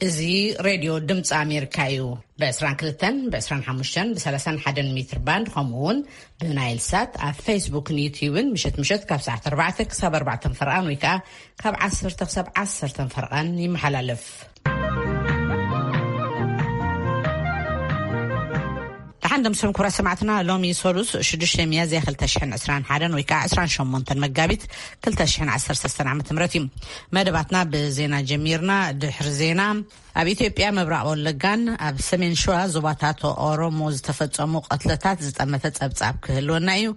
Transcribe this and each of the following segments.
እዚ ሬድዮ ድምፂ ኣሜሪካ እዩ። ብ22፣ ብ25፣ ብ31 ሜትር ባንድ፣ ከምኡ እውን ብናይል ሳት ኣብ ፌስቡክን ዩትዩብን ምሸት ምሸት ካብ ሰዓት ኣርባዕተ ክሳብ ኣርባዕተ ፈርቓን ወይ ከዓ ካብ ዓሰርተ ክሳብ ዓሰርተ ፈርቓን ይመሓላለፍ። ደሓን ደምስም ክቡራት ሰማዕትና፣ ሎሚ ሰሉስ ሽዱሽተ ሚያዝያ ክልተ ሽሕን ዕስራን ሓደን ወይ ከዓ ዕስራን ሸሞንተን መጋቢት ክልተ ሽሕን ዓሰርተ ሰለስተን ዓመተ ምህረት እዩ። መደባትና ብዜና ጀሚርና። ድሕሪ ዜና፣ ኣብ ኢትዮጵያ ምብራቕ ወለጋን ኣብ ሰሜን ሸዋ ዞባታት ኦሮሞ ዝተፈጸሙ ቀትለታት ዝጠመተ ጸብጻብ ክህልወና እዩ።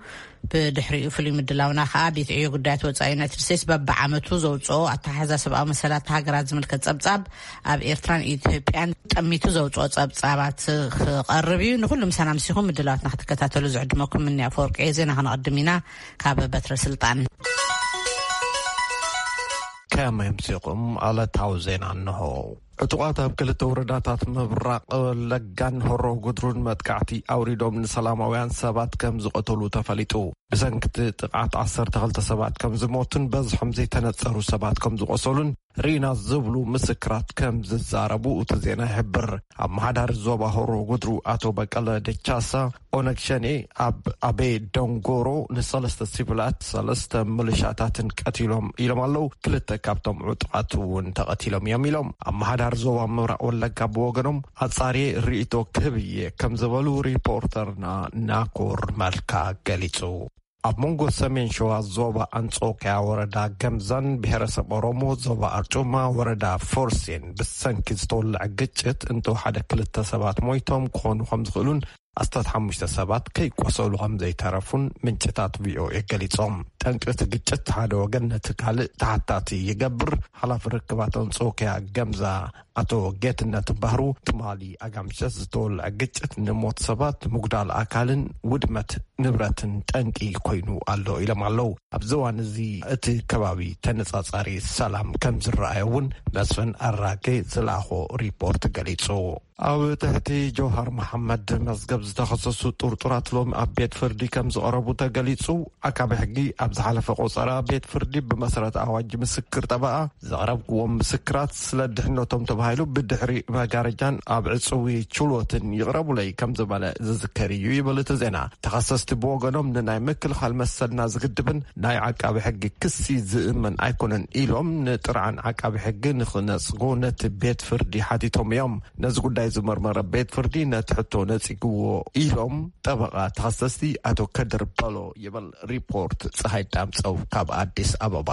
ብድሕሪኡ ፍሉይ ምድላውና ከኣ ቤት ዕዮ ጉዳያት ወጻኢ ዩናይትድ ስቴትስ በብዓመቱ ዘውጽኦ ኣተሓሕዛ ሰብኣዊ መሰላት ሃገራት ዝምልከት ጸብጻብ ኣብ ኤርትራን ኢትዮጵያን ጠሚቱ ዘውጽኦ ጸብጻባት ክቐርብ እዩ። ንኹሉ ምሳና ምሲኹም ምድላዋትና ክትከታተሉ ዝዕድመኩም ምንያ ኣፈወርቂ እየ። ዜና ከነቐድም ኢና። ካብ በትረ ስልጣን። ከመይ ኣምሲኹም? ዕለታዊ ዜና እንሆ። ዕጡቓት ኣብ ክልተ ወረዳታት ምብራቕ ወለጋን ሆሮ ጉድሩን መጥቃዕቲ ኣውሪዶም ንሰላማውያን ሰባት ከም ዝቐተሉ ተፈሊጡ። ብሰንኪ እቲ ጥቕዓት ዓሰርተ ክልተ ሰባት ከም ዝሞቱን በዝሖም ዘይተነጸሩ ሰባት ከም ዝቖሰሉን ርኢና ዝብሉ ምስክራት ከም ዝዛረቡ እቲ ዜና ይሕብር። ኣመሓዳሪ ዞባ ሆሮ ጉድሩ ኣቶ በቀለ ደቻሳ፣ ኦነግ ሸኔ ኣብ ኣቤ ደንጎሮ ንሰለስተ ሲቪላት፣ ሰለስተ ምልሻታትን ቀቲሎም ኢሎም ኣለዉ። ክልተ ካብቶም ዕጡቓት እውን ተቐቲሎም እዮም ኢሎም። ኣመሓዳሪ ዞባ ምብራቕ ወለጋ ብወገኖም፣ ኣጻርየ ርእይቶ ክህብ እየ ከም ዝበሉ ሪፖርተርና ናኮር መልካ ገሊጹ። ኣብ መንጎ ሰሜን ሸዋ ዞባ ኣንጾክያ ወረዳ ገምዛን ብሄረሰብ ኦሮሞ ዞባ ኣርጩማ ወረዳ ፎርሴን ብሰንኪ ዝተወልዐ ግጭት እንተወሓደ ክልተ ሰባት ሞይቶም ክኾኑ ከም ዝኽእሉን ኣስታት ሓሙሽተ ሰባት ከይቆሰሉ ከም ዘይተረፉን ምንጭታት ቪኦኤ ገሊጾም። ጠንቂ እቲ ግጭት ሓደ ወገን ነቲ ካልእ ተሓታቲ ይገብር። ሓላፊ ርክባት ኣንጾክያ ገምዛ ኣቶ ጌትነት ባህሩ፣ ትማሊ ኣጋምሸት ዝተወልዐ ግጭት ንሞት ሰባት፣ ምጉዳል ኣካልን ውድመት ንብረትን ጠንቂ ኮይኑ ኣሎ ኢሎም ኣለዉ። ኣብዚ እዋን እዚ እቲ ከባቢ ተነጻጻሪ ሰላም ከም ዝረኣየ እውን መስፍን ኣራጌ ዝለኣኾ ሪፖርት ገሊጹ። ኣብ ትሕቲ ጀውሃር መሓመድ መዝገብ ዝተኸሰሱ ጥርጡራት ሎሚ ኣብ ቤት ፍርዲ ከም ዝቐረቡ ተገሊጹ። ኣቃቤ ሕጊ ኣብ ዝሓለፈ ቆጸራ ቤት ፍርዲ ብመሰረት ኣዋጅ ምስክር ጠበቓ ዘቕረብክዎም ምስክራት ስለ ድሕነቶም ተባሂሉ ብድሕሪ መጋረጃን ኣብ ዕጽዊ ችሎትን ይቕረቡለይ ከም ዝበለ ዝዝከር እዩ ይብል እቲ ዜና። ተኸሰስቲ ብወገኖም ንናይ ምክልኻል መሰልና ዝግድብን ናይ ዓቃቢ ሕጊ ክሲ ዝእመን ኣይኮነን ኢሎም ንጥርዓን ዓቃቢ ሕጊ ንኽነጽጎ ነቲ ቤት ፍርዲ ሓቲቶም እዮም። ነዚ ጉዳይ ዝመርመረ ቤት ፍርዲ ነቲ ሕቶ ነጺግዎ ኢሎም ጠበቓ ተኸሰስቲ ኣቶ ከድር በሎ ይብል ሪፖርት ፀሃይ ዳምፀው ካብ ኣዲስ ኣበባ።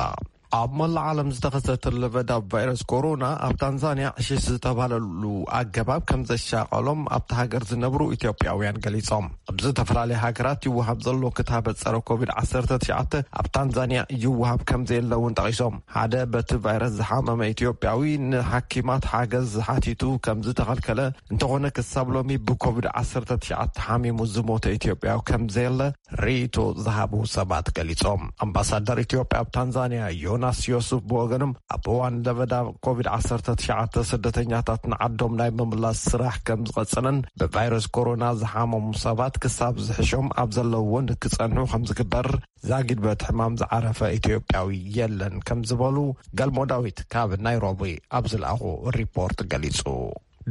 ኣብ መላእ ዓለም ዝተኸሰተ ለበዳ ቫይረስ ኮሮና ኣብ ታንዛንያ ዕሽሽ ዝተባለሉ ኣገባብ ከም ዘሻቐሎም ኣብቲ ሃገር ዝነብሩ ኢትዮጵያውያን ገሊጾም። ኣብ ዝተፈላለያ ሃገራት ይወሃብ ዘሎ ክታበት ጸረ ኮቪድ ዓሰርተ ትሽዓተ ኣብ ታንዛንያ ይወሃብ ከም ዘየለ እውን ጠቒሶም። ሓደ በቲ ቫይረስ ዝሓመመ ኢትዮጵያዊ ንሓኪማት ሓገዝ ሓቲቱ ከም ዝተኸልከለ፣ እንተኾነ ክሳብ ሎሚ ብኮቪድ ዓሰርተ ትሽዓተ ሓሚሙ ዝሞተ ኢትዮጵያዊ ከም ዘየለ ርእይቶ ዝሃቡ ሰባት ገሊጾም። ኣምባሳደር ኢትዮጵያ ኣብ ታንዛንያ ዮናስ ዮሱፍ ብወገኖም፣ ኣብ እዋን ለበዳ ኮቪድ ዓሰርተ ትሽዓተ ስደተኛታት ንዓዶም ናይ ምምላስ ስራሕ ከም ዝቐጸለን ብቫይረስ ኮሮና ዝሓመሙ ሰባት ክሳብ ዝሕሾም ኣብ ዘለውዎ ንክጸንሑ ከም ዝግበር፣ ዛጊድ በቲ ሕማም ዝዓረፈ ኢትዮጵያዊ የለን ከም ዝበሉ ገልሞ ዳዊት ካብ ናይሮቢ ኣብ ዝለኣኹ ሪፖርት ገሊጹ።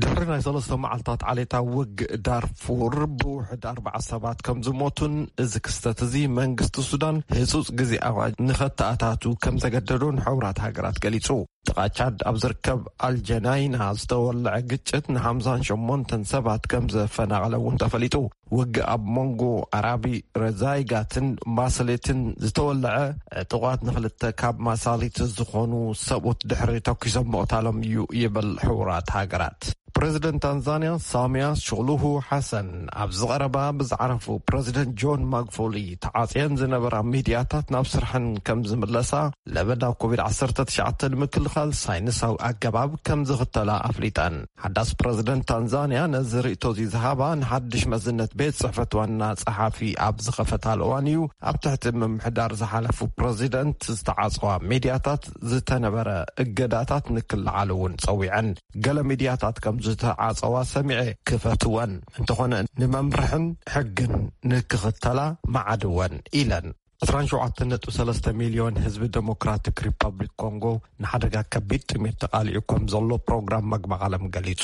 ድሕሪ ናይ ሰለስተ መዓልታት ዓሌታዊ ውግእ ዳርፉር ብውሕድ ኣርባዓ ሰባት ከም ዝሞቱን እዚ ክስተት እዚ መንግስቲ ሱዳን ህጹጽ ግዜ ኣዋጅ ንኸተኣታቱ ከም ዘገደዶን ሕቡራት ሃገራት ገሊጹ። ጥቓ ቻድ ኣብ ዝርከብ ኣልጀናይና ዝተወልዐ ግጭት ንሓምሳን ሸሞንተን ሰባት ከም ዘፈናቐለ እውን ተፈሊጡ። ውግእ ኣብ መንጎ ኣራቢ ረዛይጋትን ማሰሌትን ዝተወልዐ ዕጡቓት ንኽልተ ካብ ማሳሊት ዝኾኑ ሰብኡት ድሕሪ ተኲሶም ምቕታሎም እዩ ይብል ሕቡራት ሃገራት። ፕረዚደንት ታንዛንያ ሳሚያ ሹሉሁ ሓሰን ኣብዚ ቀረባ ብዝዓረፉ ፕረዚደንት ጆን ማግፎሊ ተዓጽየን ዝነበራ ሚድያታት ናብ ስርሐን ከም ዝምለሳ፣ ለበዳ ኮቪድ ዓሰርተ ትሽዓተ ንምክልኻል ሳይንሳዊ ኣገባብ ከም ዝኽተላ ኣፍሊጠን። ሓዳስ ፕረዚደንት ታንዛንያ ነዚ ርእይቶ እዚ ዝሃባ ንሓድሽ መዝነት ቤት ጽሕፈት ዋና ጸሓፊ ኣብ ዝኸፈታሉ እዋን እዩ። ኣብ ትሕቲ ምምሕዳር ዝሓለፉ ፕረዚደንት ዝተዓጸዋ ሚድያታት ዝተነበረ እገዳታት ንክለዓሉ እውን ጸዊዐን። ገለ ሚድያታት ከም ዝተዓጸዋ ሰሚዐ፣ ክፈትወን፣ እንተኾነ ንመምርሕን ሕግን ንክኽተላ መዓድወን ኢለን። ዕስራን ሸውዓተን ነጥቢ ሰለስተ ሚልዮን ህዝቢ ዴሞክራቲክ ሪፐብሊክ ኮንጎ ንሓደጋ ከቢድ ጥሜት ተቓሊዑ ከም ዘሎ ፕሮግራም መግቢ ዓለም ገሊጹ።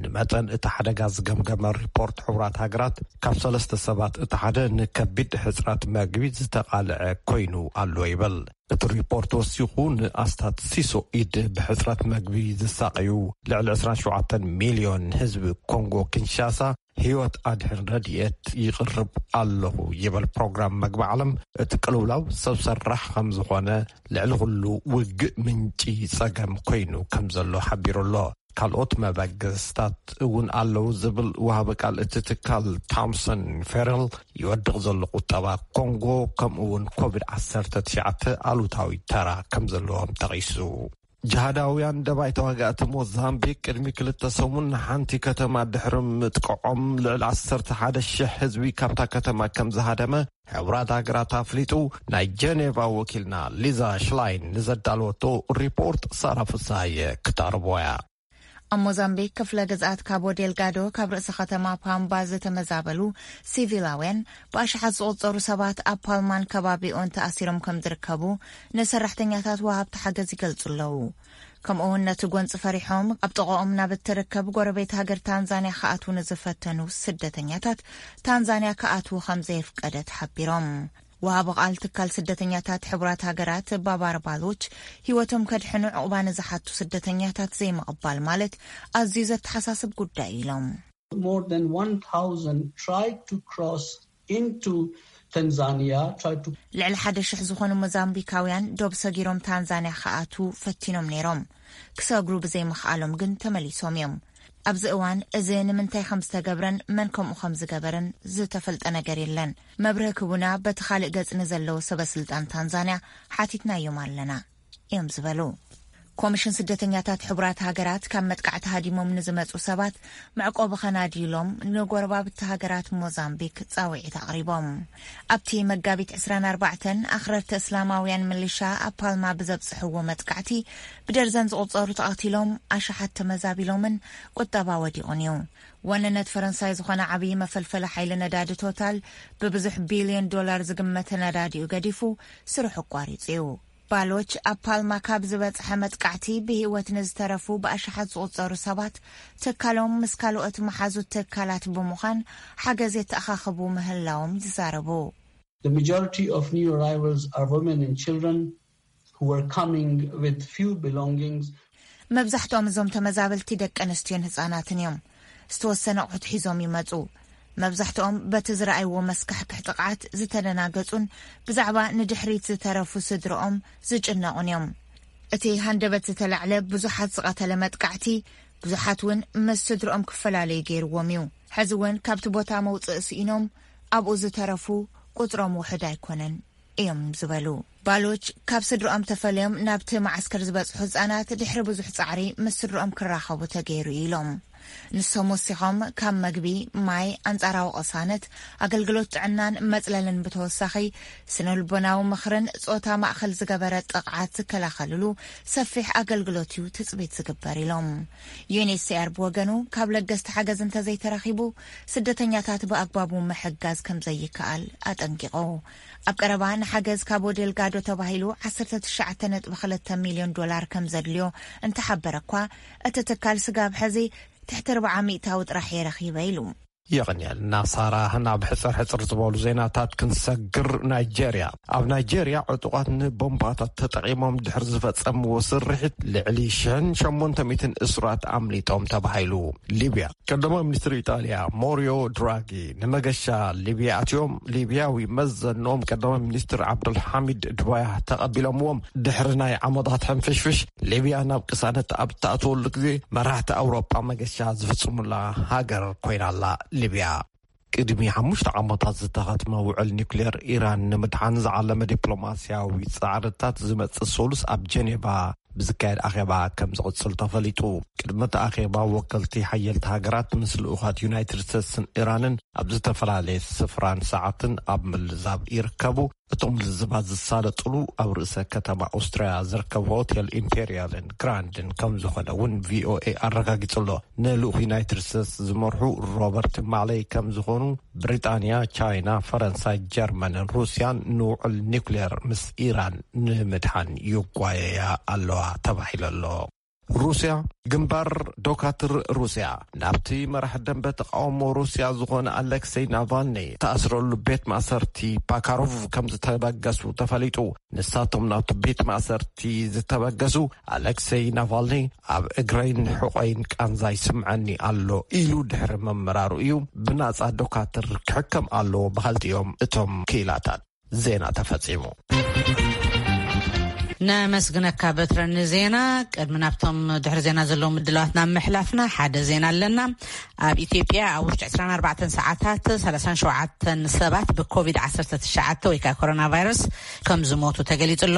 ንመጠን እቲ ሓደጋ ዝገምገመ ሪፖርት ሕቡራት ሃገራት፣ ካብ ሰለስተ ሰባት እቲ ሓደ ንከቢድ ሕጽረት መግቢ ዝተቓልዐ ኮይኑ ኣሎ ይብል። እቲ ሪፖርት ወሲኹ፣ ንኣስታት ሲሶ ኢድ ብሕጽረት መግቢ ዝሳቐዩ ልዕሊ ዕስራን ሸውዓተን ሚልዮን ህዝቢ ኮንጎ ኪንሻሳ ህይወት ኣድሕን ረድኤት ይቕርብ ኣለኹ ይብል ፕሮግራም መግቢ ዓለም። እቲ ቅልውላው ሰብ ሰራሕ ከም ዝኾነ፣ ልዕሊ ኩሉ ውግእ ምንጪ ጸገም ኮይኑ ከም ዘሎ ሓቢሩ ኣሎ። ካልኦት መበገስታት እውን ኣለዉ ዝብል ወሃቢ ቃል እቲ ትካል፣ ታምሰን ፌረል፣ ይወድቕ ዘሎ ቁጠባ ኮንጎ፣ ከምኡ እውን ኮቪድ ዓሰርተ ትሽዓተ ኣሉታዊ ተራ ከም ዘለዎም ጠቒሱ። ጅሃዳውያን ደባይ ተዋጋእቲ ሞዛምቢክ ቅድሚ ክልተ ሰሙን ንሓንቲ ከተማ ድሕሪ ምጥቅዖም፣ ልዕሊ ዓሰርተ ሓደ ሽሕ ህዝቢ ካብታ ከተማ ከም ዝሃደመ ሕቡራት ሃገራት ኣፍሊጡ። ናይ ጀኔቫ ወኪልና ሊዛ ሽላይን ንዘዳለወቶ ሪፖርት ሳራ ፍሳየ ክተቕርቦ እያ። ኣብ ሞዛምቢክ ክፍለ ግዝኣት ካቦ ዴልጋዶ፣ ካብ ርእሲ ከተማ ፓምባ ዝተመዛበሉ ሲቪላውያን ብኣሽሓት ዝቑጸሩ ሰባት ኣብ ፓልማን ከባቢኦን ተኣሲሮም ከም ዝርከቡ ንሰራሕተኛታት ወሃብቲ ሓገዝ ይገልጹ ኣለዉ። ከምኡውን ነቲ ጎንጺ ፈሪሖም ኣብ ጥቓኦም ናብ እትርከብ ጎረቤት ሃገር ታንዛንያ ክኣትዉ ንዝፈተኑ ስደተኛታት፣ ታንዛንያ ክኣትዉ ከም ዘየፍቀደት ሓቢሮም። ወሃቢ ቃል ትካል ስደተኛታት ሕቡራት ሃገራት ባባር ባሎች፣ ህይወቶም ከድሕኑ ዕቑባ ንዝሓቱ ስደተኛታት ዘይምቕባል ማለት ኣዝዩ ዘተሓሳስብ ጉዳይ ኢሎም። More than one thousand tried to cross into Tanzania, tried to ልዕሊ ሓደ ሽሕ ዝኾኑ ሞዛምቢካውያን ዶብ ሰጊሮም ታንዛንያ ክኣትዉ ፈቲኖም ነይሮም። ክሰግሩ ብዘይምኽኣሎም ግን ተመሊሶም እዮም። ኣብዚ እዋን እዚ ንምንታይ ከም ዝተገብረን መን ከምኡ ከም ዝገበረን ዝተፈልጠ ነገር የለን። መብርሂ ክቡና በቲ ካልእ ገጽ ንዘለዉ ሰበ ስልጣን ታንዛንያ ሓቲትናዮም ኣለና እዮም ዝበሉ። ኮሚሽን ስደተኛታት ሕቡራት ሃገራት፣ ካብ መጥቃዕቲ ሃዲሞም ንዝመጹ ሰባት መዕቆቢ ከናድዩሎም ንጎረባብቲ ሃገራት ሞዛምቢክ ጻውዒት ኣቕሪቦም። ኣብቲ መጋቢት ዕስራን ኣርባዕተን ኣኽረርቲ እስላማውያን ምልሻ ኣብ ፓልማ ብዘብጽሕዎ መጥቃዕቲ፣ ብደርዘን ዝቑጸሩ ተቐቲሎም፣ ኣሽሓት ተመዛቢሎምን ቁጠባ ወዲቑን እዩ። ዋንነት ፈረንሳይ ዝኾነ ዓብዪ መፈልፈሊ ሓይሊ ነዳዲ ቶታል፣ ብብዙሕ ቢልዮን ዶላር ዝግመት ነዳዲኡ ገዲፉ ስርሑ ኣቋሪጹ እዩ። ባሎች ኣብ ፓልማ ካብ ዝበጽሐ መጥቃዕቲ ብህይወት ንዝተረፉ ብኣሽሓት ዝቑጸሩ ሰባት፣ ትካሎም ምስ ካልኦት መሓዙት ትካላት ብምዃን ሓገዝ የተኣኻኽቡ ምህላዎም ይዛረቡ። The majority of new arrivals are women and children who were coming with few belongings. መብዛሕትኦም እዞም ተመዛበልቲ ደቂ ኣንስትዮን ህጻናትን እዮም። ዝተወሰነ ኣቑሑት ሒዞም ይመጹ። መብዛሕትኦም በቲ ዝረኣይዎ መስካሕክሕ ጥቕዓት ዝተደናገጹን ብዛዕባ ንድሕሪት ዝተረፉ ስድርኦም ዝጭነቑን እዮም። እቲ ሃንደበት ዝተላዕለ ብዙሓት ዝቐተለ መጥቃዕቲ፣ ብዙሓት እውን ምስ ስድርኦም ክፈላለዩ ገይርዎም እዩ። ሕዚ እውን ካብቲ ቦታ መውጽኢ ስኢኖም ኣብኡ ዝተረፉ ቁጽሮም ውሑድ ኣይኮነን እዮም ዝበሉ። ባሎች፣ ካብ ስድርኦም ተፈልዮም ናብቲ መዓስከር ዝበጽሑ ህጻናት ድሕሪ ብዙሕ ጻዕሪ ምስ ስድርኦም ክራኸቡ ተገይሩ እዩ ኢሎም። ንሶም ወሲኾም፣ ካብ መግቢ፣ ማይ፣ ኣንጻራዊ ቅሳነት፣ ኣገልግሎት ጥዕናን መጽለልን ብተወሳኺ፣ ስነ-ልቦናዊ ምኽርን ጾታ ማእከል ዝገበረ ጥቕዓት ዝከላኸልሉ ሰፊሕ ኣገልግሎት እዩ ትጽቢት ዝግበር ኢሎም። ዩኤንኤችሲኣር ብወገኑ፣ ካብ ለገስቲ ሓገዝ እንተዘይተረኺቡ፣ ስደተኛታት ብኣግባቡ ምሕጋዝ ከም ዘይከኣል ኣጠንቂቑ። ኣብ ቀረባ ንሓገዝ ካቦ ዴልጋዶ ተባሂሉ ዓሰርተ ትሽዓተ ነጥቢ ክልተ ሚልዮን ዶላር ከም ዘድልዮ እንተሓበረ እኳ፣ እቲ ትካል ስጋብ ሕዚ ትሕቲ ኣርብዓ ሚእታዊ ጥራሕ እየ ረኺበ ኢሉ። የቐንየልና ሳራ። ናብ ሕጽር ሕጽር ዝበሉ ዜናታት ክንሰግር፣ ናይጄርያ። ኣብ ናይጄርያ ዕጡቓት ንቦምባታት ተጠቒሞም ድሕሪ ዝፈጸምዎ ስርሒት ልዕሊ ሽሕን ሸሞንተ ሚእትን እሱራት ኣምሊጦም ተባሂሉ። ሊብያ። ቀዳማይ ሚኒስትር ኢጣልያ ሞሪዮ ድራጊ ንመገሻ ሊብያ ኣትዮም፣ ሊብያዊ መዘኖም ቀዳማይ ሚኒስትር ዓብዱልሓሚድ ድባያ ተቐቢሎምዎም። ድሕሪ ናይ ዓመታት ሕንፍሽፍሽ፣ ሊብያ ናብ ቅሳነት ኣብ እትኣትወሉ ግዜ፣ መራሕቲ ኣውሮጳ መገሻ ዝፍጽሙላ ሃገር ኮይና ኣላ ሊብያ። ቅድሚ ሓሙሽተ ዓመታት ዝተኸትመ ውዕል ኒውክሌር ኢራን ንምድሓን ዝዓለመ ዲፕሎማስያዊ ጻዕርታት ዝመጽእ ሰሉስ ኣብ ጀኔቫ ብዝካየድ ኣኼባ ከም ዝቕጽል ተፈሊጡ። ቅድሚ እቲ ኣኼባ፣ ወከልቲ ሓየልቲ ሃገራት ምስ ልኡኻት ዩናይትድ ስቴትስን ኢራንን ኣብ ዝተፈላለየ ስፍራን ሰዓትን ኣብ ምልዛብ ይርከቡ። እቶም ልዝባት ዝሳለጥሉ ኣብ ርእሰ ከተማ ኦስትርያ ዝርከብ ሆቴል ኢምፔሪያልን ግራንድን ከም ዝኾነ እውን ቪኦኤ ኣረጋጊጹ ኣሎ። ንልኡኽ ዩናይትድ ስቴትስ ዝመርሑ ሮበርት ማሌይ ከም ዝኾኑ፣ ብሪጣንያ፣ ቻይና፣ ፈረንሳይ፣ ጀርመንን ሩስያን ንውዕል ኒውክሌር ምስ ኢራን ንምድሓን ይጓየያ ኣለዋ ተባሂሉ ኣሎ። ሩስያ፣ ግንባር ዶካትር ሩስያ ናብቲ መራሕ ደንበ ተቃውሞ ሩስያ ዝኾነ ኣሌክሰይ ናቫልኒ ተኣስረሉ ቤት ማእሰርቲ ፓካሮቭ ከም ዝተበገሱ ተፈሊጡ። ንሳቶም ናብቲ ቤት ማእሰርቲ ዝተበገሱ፣ ኣሌክሰይ ናቫልኒ ኣብ እግረይን ሕቆይን ቃንዛ ይስምዐኒ ኣሎ ኢሉ ድሕሪ ምምራሩ እዩ። ብናጻ ዶካትር ክሕከም ኣለዎ በሃልቲ እዮም እቶም ክኢላታት። ዜና ተፈጺሙ። ነመስግነካ በትረ ንዜና። ቅድሚ ናብቶም ድሕሪ ዜና ዘለዉ ምድላዋት ናብ ምሕላፍና፣ ሓደ ዜና ኣለና። ኣብ ኢትዮጵያ ኣብ ውሽጢ ዕስራን ኣርባዕተን ሰዓታት ሰላሳን ሸውዓተን ሰባት ብኮቪድ ዓሰርተ ትሽዓተ ወይ ከዓ ኮሮና ቫይረስ ከም ዝሞቱ ተገሊጹ ኣሎ።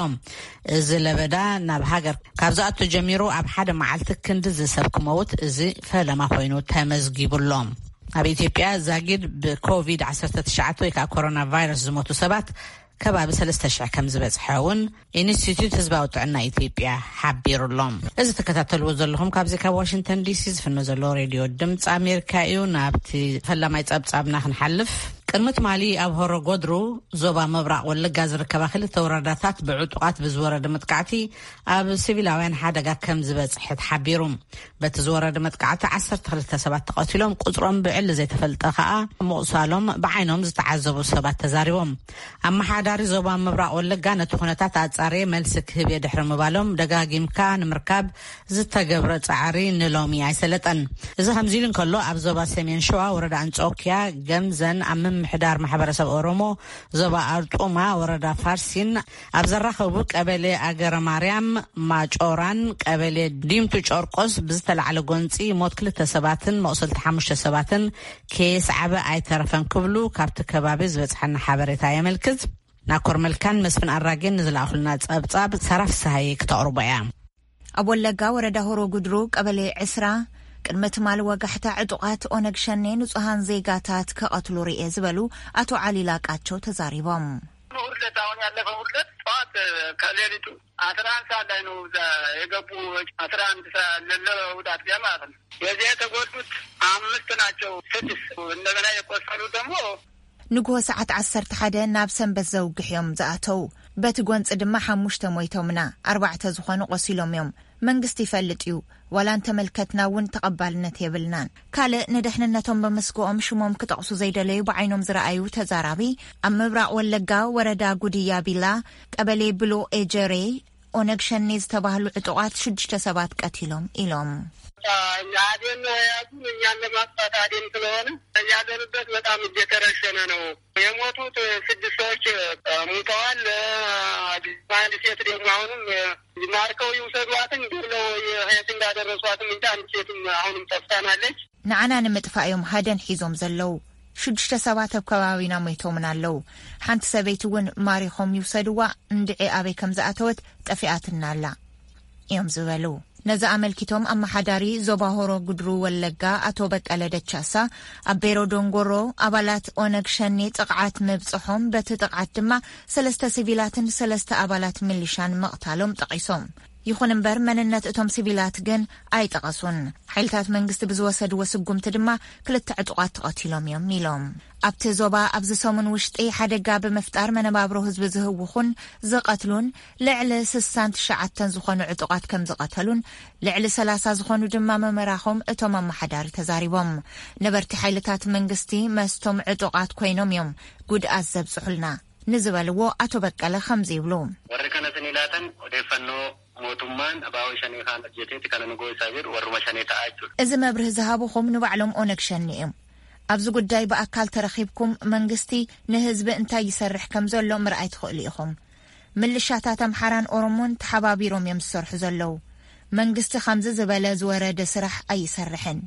እዚ ለበዳ ናብ ሃገር ካብ ዝኣቱ ጀሚሩ ኣብ ሓደ መዓልቲ ክንዲ ዝሰብ ክመውት እዚ ፈለማ ኮይኑ ተመዝጊቡ ኣሎ። ኣብ ኢትዮጵያ ዛጊድ ብኮቪድ ዓሰርተ ትሽዓተ ወይ ከዓ ኮሮና ቫይረስ ዝሞቱ ሰባት ከባቢ ሰለስተ ሽሕ ከም ዝበጽሐ እውን ኢንስቲትዩት ህዝባዊ ጥዕና ኢትዮጵያ ሓቢሩ ኣሎ። እዚ ትከታተልዎ ዘለኹም ካብዚ ካብ ዋሽንግተን ዲሲ ዝፍኖ ዘሎ ሬድዮ ድምፂ ኣሜሪካ እዩ። ናብቲ ፈላማይ ጸብጻብና ክንሓልፍ፣ ቅድሚ ትማሊ ኣብ ሆሮ ጎድሩ ዞባ ምብራቕ ወለጋ ዝርከባ ክልተ ወረዳታት ብዕጡቓት ብዝወረደ መጥቃዕቲ ኣብ ሲቪላውያን ሓደጋ ከም ዝበጽሐ ተሓቢሩ። በቲ ዝወረደ መጥቃዕቲ ዓሰርተ ክልተ ሰባት ተቐቲሎም፣ ቁጽሮም ብዕሊ ዘይተፈልጠ ከኣ ምቑሳሎም ብዓይኖም ዝተዓዘቡ ሰባት ተዛሪቦም። ኣመሓዳሪ ዞባ ምብራቕ ወለጋ ነቲ ኩነታት ኣጻርየ መልሲ ክህብ እየ ድሕሪ ምባሎም፣ ደጋጊምካ ንምርካብ ዝተገብረ ጻዕሪ ንሎሚ ኣይሰለጠን። እዚ ከምዚ ኢሉ እንከሎ፣ ኣብ ዞባ ሰሜን ሸዋ ወረዳ ኣንጾኪያ ገምዘን ኣብ ምምሕዳር ማሕበረሰብ ኦሮሞ ዞባ ኣርጡማ ወረዳ ፋርሲን ኣብ ዘራኸቡ ቀበሌ ኣገረ ማርያም ማጮራን ቀበሌ ዲምቱ ጨርቆስ ብዝተላዕለ ጎንፂ ሞት ክልተ ሰባትን መቑሰልቲ ሓሙሽተ ሰባትን ከየስዓበ ኣይተረፈን ክብሉ ካብቲ ከባቢ ዝበፅሐና ሓበሬታ የመልክት። ናኮር መልካን መስፍን ኣራጌን ንዝለኣኹልና ጸብጻብ ሳራ ፍስሃዬ ክተቕርቦ እያ። ኣብ ወለጋ ወረዳ ሆሮ ጉድሩ ቀበሌ ዕስራ ቅድሚ ትማሊ ወጋሕታ ዕጡቓት ኦነግ ሸኔ ንጹሃን ዜጋታት ክቐትሉ ርኤ ዝበሉ ኣቶ ዓሊ ላቃቸው ተዛሪቦም። እሑድ ዕለት፣ አሁን ያለፈው እሑድ ዕለት ጠዋት ከሌሊቱ አስራ አንድ ሰዓት ላይ ነው እዛ የገቡ። አስራ አንድ ሰዓት ለለ እሑድ አጥቢያ ማለት ነው። በዚያ የተጎዱት አምስት ናቸው፣ ስድስት እንደገና የቆሰሉ ደግሞ ንግሆ ሰዓት ዓሰርተ ሓደ ናብ ሰንበት ዘውግሕ እዮም ዝኣተው። በቲ ጎንፂ ድማ ሓሙሽተ ሞይቶምና፣ ኣርባዕተ ዝኾኑ ቆሲሎም እዮም። መንግስቲ ይፈልጥ እዩ፣ ዋላ እንተመልከትና እውን ተቐባልነት የብልናን። ካልእ ንድሕንነቶም ብምስግኦም ሽሞም ክጠቕሱ ዘይደለዩ ብዓይኖም ዝረኣዩ ተዛራቢ፣ ኣብ ምብራቕ ወለጋ ወረዳ ጉድያ ቢላ ቀበሌ ብሎ ኤጀሬ ኦነግ ሸኔ ዝተባህሉ ዕጡቓት ሽዱሽተ ሰባት ቀቲሎም ኢሎም። አዴን ነው የያዙን፣ እኛን ለማጥፋት አዴን ስለሆነ ያለንበት በጣም እየተረሸነ ነው። የሞቱት ስድስት ሰዎች ሙተዋል። አንድ ሴት ደግሞ አሁንም ማርከው ይውሰዷትን ገለው የት እንዳደረሷትም እንጂ አንድ ሴትም አሁንም ጠፍታናለች። ንዓና ንምጥፋእ እዮም ሃደን ሒዞም ዘለዉ። ሽዱሽተ ሰባት ኣብ ከባቢና ሞይቶምን ኣለዉ። ሓንቲ ሰበይቲ እውን ማሪኾም ይውሰድዋ፣ እንድዒ ኣበይ ከም ዝኣተወት ጠፊኣትና ኣላ እዮም ዝበሉ። ነዚ ኣመልኪቶም ኣመሓዳሪ ዞባ ሆሮ ጉድሩ ወለጋ ኣቶ በቀለ ደቻሳ፣ ኣብ ቤሮ ዶንጎሮ ኣባላት ኦነግ ሸኔ ጥቕዓት ምብጽሖም፣ በቲ ጥቕዓት ድማ ሰለስተ ሲቪላትን ሰለስተ ኣባላት ሚሊሻን ምቕታሎም ጠቒሶም። ይኹን እምበር መንነት እቶም ሲቪላት ግን ኣይጠቐሱን። ሓይልታት መንግስቲ ብዝወሰድዎ ስጉምቲ ድማ ክልተ ዕጡቓት ተቐቲሎም እዮም ኢሎም። ኣብቲ ዞባ ኣብዚ ሰሙን ውሽጢ ሓደጋ ብምፍጣር መነባብሮ ህዝቢ ዝህውኹን ዝቐትሉን ልዕሊ ስሳን ትሽዓተን ዝኾኑ ዕጡቓት ከም ዝቐተሉን ልዕሊ ሰላሳ ዝኾኑ ድማ መመራኾም እቶም ኣመሓዳሪ ተዛሪቦም። ነበርቲ ሓይልታት መንግስቲ መስቶም ዕጡቓት ኮይኖም እዮም ጉድኣት ዘብጽሑልና ንዝበልዎ ኣቶ በቀለ ከምዚ ይብሉ። Warri kana sinilaatan odeeffannoo mootummaan abaa'oo shanii kaan hojjeteeti kana nu goosaa jedhu warruma shanii ta'aa jechuudha. እዚ መብርህ ዝሃብኹም ንባዕሎም ኦነግ ሸኔ እዮም። ኣብዚ ጉዳይ ብኣካል ተረኺብኩም መንግስቲ ንህዝቢ እንታይ ይሰርሕ ከም ዘሎ ምርኣይ ትኽእሉ ኢኹም። ምልሻታት ኣምሓራን ኦሮሞን ተሓባቢሮም እዮም ዝሰርሑ ዘለዉ። መንግስቲ ከምዚ ዝበለ ዝወረደ ስራሕ ኣይሰርሕን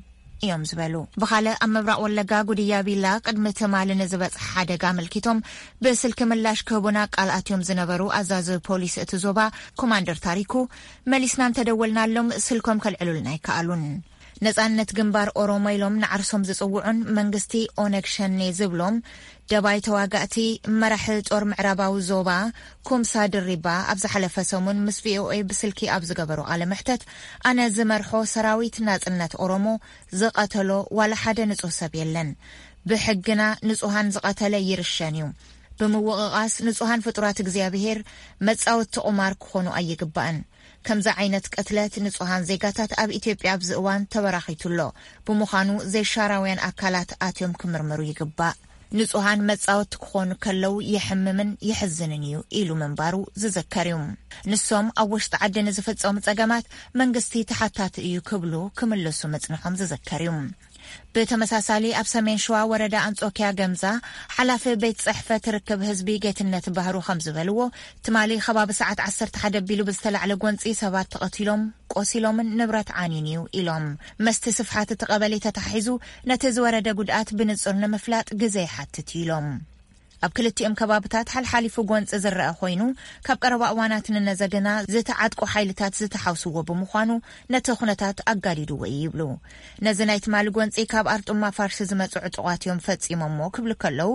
እዮም ዝበሉ። ብኻልእ ኣብ ምብራቕ ወለጋ ጉድያ ቢላ ቅድሚ ትማሊ ንዝበጽሐ ሓደጋ ኣመልኪቶም ብስልኪ ምላሽ ክህቡና ቃል ኣትዮም ዝነበሩ ኣዛዚ ፖሊስ እቲ ዞባ ኮማንደር ታሪኩ፣ መሊስና እንተደወልናሎም ስልኮም ከልዕሉልና ኣይከኣሉን። ነጻነት ግንባር ኦሮሞ ኢሎም ንዓርሶም ዝጽውዑን መንግስቲ ኦነግ ሸኔ ዝብሎም ደባይ ተዋጋእቲ፣ መራሒ ጦር ምዕራባዊ ዞባ ኩምሳ ድሪባ ኣብ ዝሓለፈ ሰሙን ምስ ቪኦኤ ብስልኪ ኣብ ዝገበሮ ቃለ መሕተት፣ ኣነ ዝመርሖ ሰራዊት ናጽነት ኦሮሞ ዝቐተሎ ዋላ ሓደ ንጹህ ሰብ የለን። ብሕግና ንጹሃን ዝቐተለ ይርሸን እዩ። ብምውቕቓስ ንጹሃን ፍጡራት እግዚኣብሄር መጻወቲ ቁማር ክኾኑ ኣይግባእን። ከምዚ ዓይነት ቅትለት ንጹሃን ዜጋታት ኣብ ኢትዮጵያ ኣብዚ እዋን ተበራኺቱ ኣሎ። ብምዃኑ ዘይሻራውያን ኣካላት ኣትዮም ክምርምሩ ይግባእ። ንጹሃን መጻወቲ ክኾኑ ከለዉ የሕምምን የሕዝንን እዩ ኢሉ ምንባሩ ዝዝከር እዩ። ንሶም ኣብ ውሽጢ ዓዲ ንዝፍጸሙ ጸገማት መንግስቲ ተሓታቲ እዩ ክብሉ ክምልሱ ምጽንሖም ዝዝከር እዩ። ብተመሳሳሊ ኣብ ሰሜን ሸዋ ወረዳ ኣንጾኪያ ገምዛ ሓላፊ ቤት ጽሕፈት ርክብ ህዝቢ ጌትነት ባህሩ ከም ዝበልዎ፣ ትማሊ ከባቢ ሰዓት ዓሰርተ ሓደ ኣቢሉ ብዝተላዕለ ጎንጺ ሰባት ተቐቲሎም፣ ቆሲሎምን ንብረት ዓንዩን እዩ ኢሎም። መስቲ ስፍሓት እቲ ቀበሌ ተታሒዙ ነቲ ዝወረደ ጉድኣት ብንጹር ንምፍላጥ ግዜ ይሓትት እዩ ኢሎም። ኣብ ክልቲኦም ከባብታት ሓልሓሊፉ ጎንጺ ዝረአ ኮይኑ፣ ካብ ቀረባ እዋናት ንነዘ ግና ዝተዓጥቁ ሓይልታት ዝተሓውስዎ ብምዃኑ ነቲ ኩነታት ኣጋዲድዎ እዩ ይብሉ። ነዚ ናይ ትማሊ ጎንጺ ካብ ኣርጡማ ፋርሲ ዝመጹ ዕጡቓት እዮም ፈጺሞሞ ክብሉ ከለዉ፣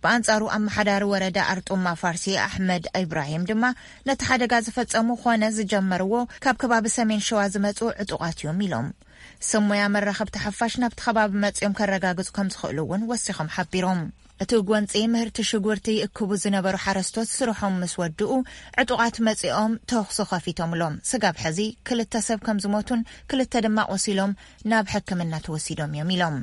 ብኣንጻሩ ኣመሓዳሪ ወረዳ ኣርጡማ ፋርሲ ኣሕመድ ኢብራሂም ድማ ነቲ ሓደጋ ዝፈጸሙ ኾነ ዝጀመርዎ ካብ ከባቢ ሰሜን ሸዋ ዝመጹ ዕጡቓት እዮም ኢሎም። ስም ሞያ መራኸብቲ ሓፋሽ ናብቲ ከባቢ መጺኦም ከረጋግጹ ከም ዝኽእሉ እውን ወሲኾም ሓቢሮም። እቲ ጎንጺ ምህርቲ ሽጉርቲ ይእክቡ ዝነበሩ ሓረስቶት ስርሖም ምስ ወድኡ፣ ዕጡቓት መጺኦም ተኹሲ ከፊቶምሎም። ስጋብ ሕዚ ክልተ ሰብ ከም ዝሞቱን ክልተ ድማ ቆሲሎም ናብ ሕክምና ተወሲዶም እዮም ኢሎም።